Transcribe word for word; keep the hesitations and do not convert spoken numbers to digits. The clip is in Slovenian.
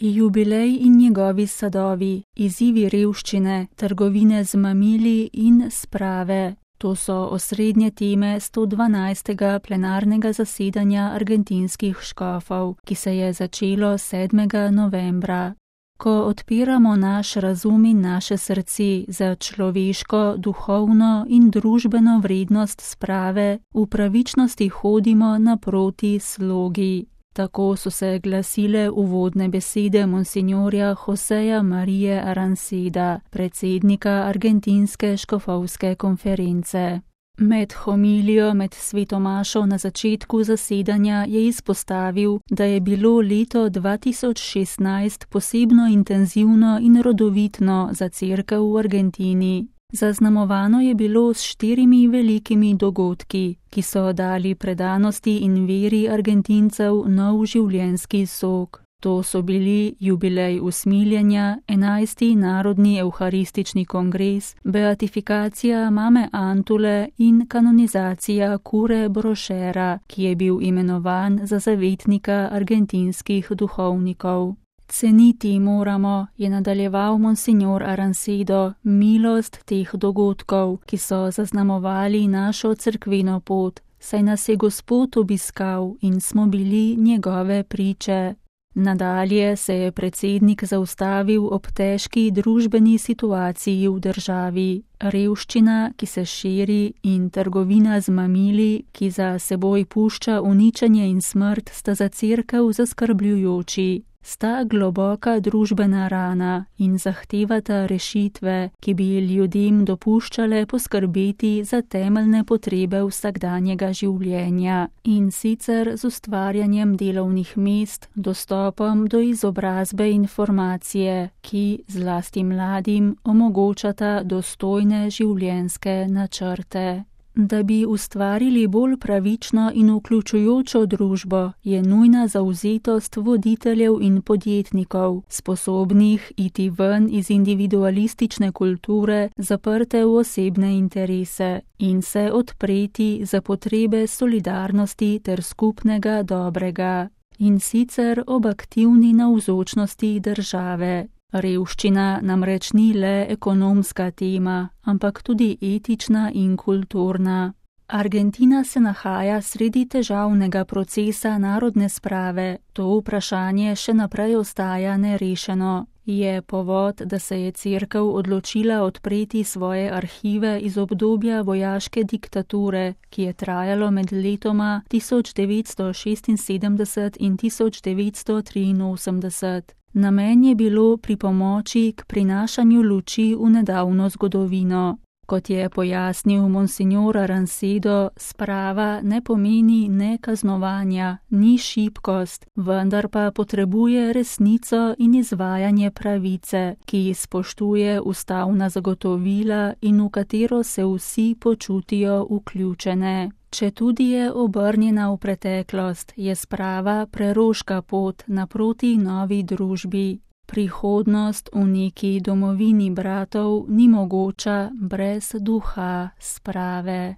Jubilej in njegovi sadovi, izzivi revščine, trgovine z mamili in sprave. To so osrednje teme sto dvanajstega plenarnega zasedanja argentinskih škofov, ki se je začelo sedmega novembra. Ko odpiramo naš razum in naše srce za človeško, duhovno in družbeno vrednost sprave, v pravičnosti hodimo naproti slogi. Tako so se glasile uvodne besede monsinjorja Joseja Marije Aranceda, predsednika Argentinske škofovske konference. Med homilijo med svetomašo na začetku zasedanja je izpostavil, da je bilo leto dva tisoč šestnajst posebno intenzivno in rodovitno za cerkev v Argentini. Zaznamovano je bilo s štirimi velikimi dogodki, ki so dali predanosti in veri Argentincev nov življenjski sok. To so bili jubilej usmiljenja, enajsti narodni evharistični kongres, beatifikacija mame Antule in kanonizacija Kure Brošera, ki je bil imenovan za zavetnika argentinskih duhovnikov. Ceniti moramo, je nadaljeval monsinjor Arancedo, milost teh dogodkov, ki so zaznamovali našo cerkveno pot, saj nas je Gospod obiskal in smo bili njegove priče. Nadalje se je predsednik zaustavil ob težki družbeni situaciji v državi. Revščina, ki se širi, in trgovina z mamili, ki za seboj pušča uničenje in smrt, sta za cerkev zaskrbljujoči. Sta globoka družbena rana in zahtevata rešitve, ki bi ljudem dopuščale poskrbeti za temeljne potrebe vsakdanjega življenja, in sicer z ustvarjanjem delovnih mest, dostopom do izobrazbe in informacije, ki zlasti mladim omogočata dostojne življenjske načrte. Da bi ustvarili bolj pravično in vključujočo družbo, je nujna zavzetost voditeljev in podjetnikov, sposobnih iti ven iz individualistične kulture, zaprte v osebne interese, in se odpreti za potrebe solidarnosti ter skupnega dobrega, in sicer ob aktivni navzočnosti države. Revščina namreč ni le ekonomska tema, ampak tudi etična in kulturna. Argentina se nahaja sredi težavnega procesa narodne sprave, to vprašanje še naprej ostaja nerešeno. Je povod, da se je cerkev odločila odpreti svoje arhive iz obdobja vojaške diktature, ki je trajalo med letoma tisoč devetsto šestinsedemdeset in tisoč devetsto triinosemdeset. Namen je bilo pripomoči k prinašanju luči v nedavno zgodovino. Kot je pojasnil monsinjor Arancedo, sprava ne pomeni ne kaznovanja, ni šibkost, vendar pa potrebuje resnico in izvajanje pravice, ki spoštuje ustavna zagotovila in v katero se vsi počutijo vključene. Četudi je obrnjena v preteklost, je sprava preroška pot naproti novi družbi. Prihodnost v neki domovini bratov ni mogoča brez duha sprave.